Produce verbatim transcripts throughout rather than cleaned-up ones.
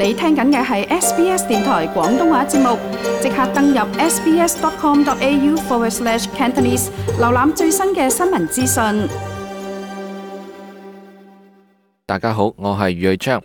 你聽緊嘅係 S B S 電台廣東話節目，即刻登入 sbs.com.au forward slash Cantonese， 瀏覽最新嘅新聞資訊。大家好，我係余瑞章。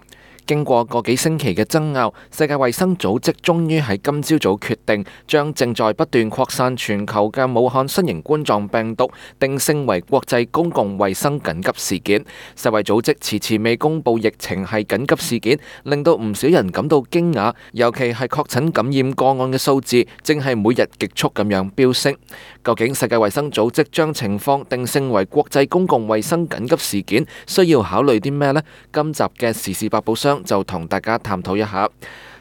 經過個幾星期嘅爭拗，世界衛生組織終於喺今朝早決定將正在不斷擴散全球嘅武漢新型冠狀病毒定性為國際公共衛生緊急事件。世衛組織遲遲未公布疫情係緊急事件，令到唔少人感到驚訝，尤其係確診感染個案嘅數字正係每日極速咁樣飆升。究竟世界衛生組織將情況定性為國際公共衛生緊急事件，需要考慮啲咩呢？今集嘅時事百寶箱就同大家探討一下。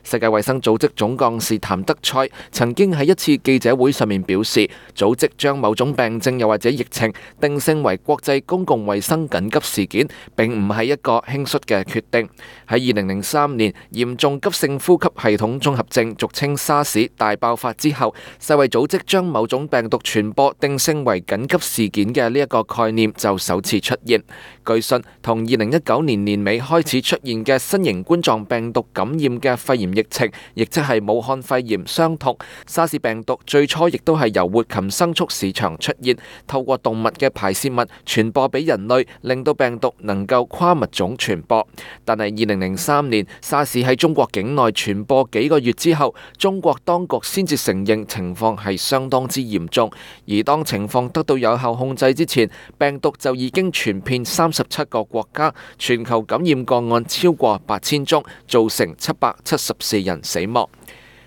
世界衛生組織總幹事譚德塞曾經喺一次記者會上面表示，組織將某種病症又或者疫情定性為國際公共衛生緊急事件，並唔係一個輕率嘅決定。喺二零零三年嚴重急性呼吸系統綜合症俗稱沙士大爆發之後，世衛組織將某種病毒傳播定性為緊急事件嘅呢一個概念就首次出現。據信，同二零一九年年尾開始出現嘅新型冠狀病毒感染嘅肺炎疫情，亦即係武漢肺炎相同。沙士病毒最初亦都係由活禽牲畜市場出現，透過動物嘅排泄物傳播俾人類，令到病毒能夠跨物種傳播。但係二零零三年沙士喺中國境內傳播幾個月之後，中國當局先至承認情況係相當之嚴重。而當情況得到有效控制之前，病毒就已經傳遍三十七個國家，全球感染個案超過八千宗，造成七百七十四人死亡。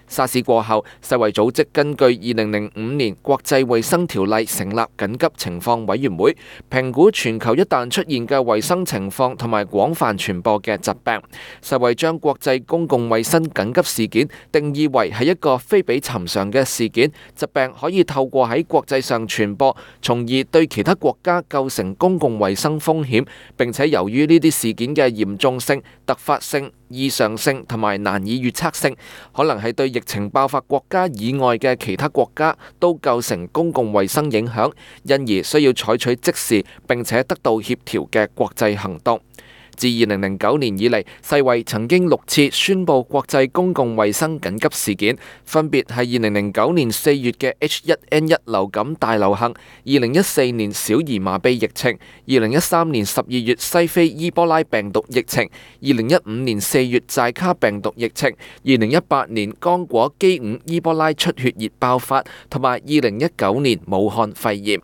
沙士過後，世衛組織根據二零零五年國際衛生條例成立緊急情況委員會，評估全球一旦出現嘅衛生情況同埋廣泛傳播嘅疾病。世衛將國際公共衛生緊急事件定義為係一個非比尋常嘅事件，疾病可以透過喺國際上傳播，從而對其他國家構成公共衛生風險。並且由於呢啲事件嘅嚴重性、突發性、異常性同埋難以預測性，可能係對疫情爆發國家以外嘅其他國家都構成公共衛生影響，因而需要採取即時並且得到協調嘅國際行動。自二零零九年以嚟，世衛曾經六次宣布國際公共衛生緊急事件，分別係二零零九年四月嘅 H 一 N 一 流感大流行、二零一四年小兒麻痹疫情、二零一三年十二月西非伊波拉病毒疫情、二零一五年四月寨卡病毒疫情、二零一八年剛果基伍伊波拉出血熱爆發，同埋二零一九年武漢肺炎。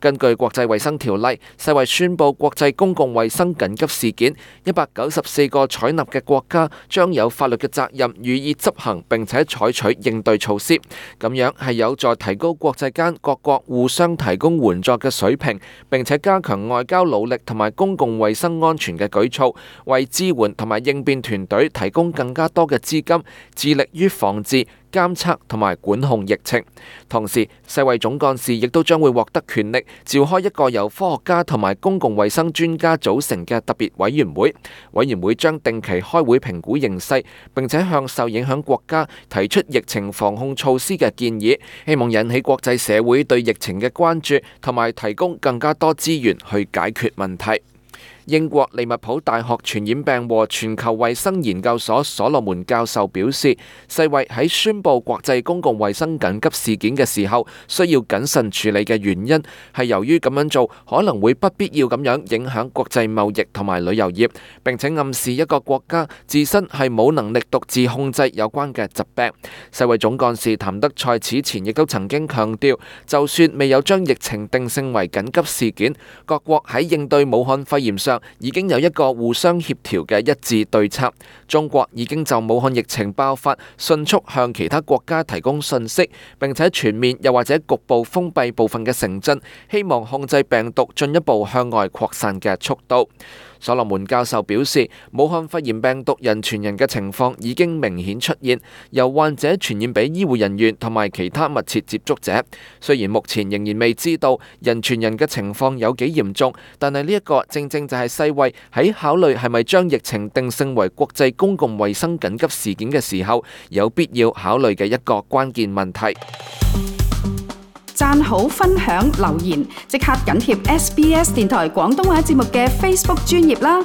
根據國際衛生條例，世衛宣布國際公共衛生緊急事件，一百九十四個採納嘅國家將有法律嘅責任予以執行，並且採取應對措施。咁樣係有助提高國際間各國互相提供援助嘅水平，並且加強外交努力同埋公共衛生安全嘅舉措，為支援同埋應變團隊提供更加多嘅資金，致力於防治、監測同埋管控疫情。同時，世衛總幹事亦都將會獲得權力，召開一個由科學家同埋公共衛生專家組成嘅特別委員會。委員會將定期開會評估形勢，並且向受影響國家提出疫情防控措施嘅建議，希望引起國際社會對疫情嘅關注，同埋提供更加多資源去解決問題。英國利物浦大學傳染病和全球衛生研究所所羅門教授表示，世衛喺宣布國際公共衛生緊急事件嘅時候，需要謹慎處理嘅原因係由於咁樣做可能會不必要咁樣影響國際貿易同埋旅遊業，並且暗示一個國家自身係冇能力獨自控制有關嘅疾病。世衛總幹事譚德塞此前亦都曾經強調，就算未有將疫情定性為緊急事件，各國喺應對武漢肺炎上已經有一個互相協調嘅一致對策。中國已經就武漢疫情爆發迅速向其他國家提供信息，並且全面又或者局部封閉部分嘅城鎮，希望控制病毒進一步向外擴散嘅速度。所羅門教授表示，武漢肺炎病毒人傳人嘅情況已經明顯出現，由患者傳染俾醫護人員同埋其他密切接觸者。雖然目前仍然未知道人傳人嘅情況有幾嚴重，但係呢一個正正就係世衛喺考慮係咪將疫情定性為國際公共衛生緊急事件嘅時候，有必要考慮嘅一個關鍵問題。讚好、分享、留言，即刻緊貼 S B S 電台廣東話節目嘅 Facebook 專頁啦！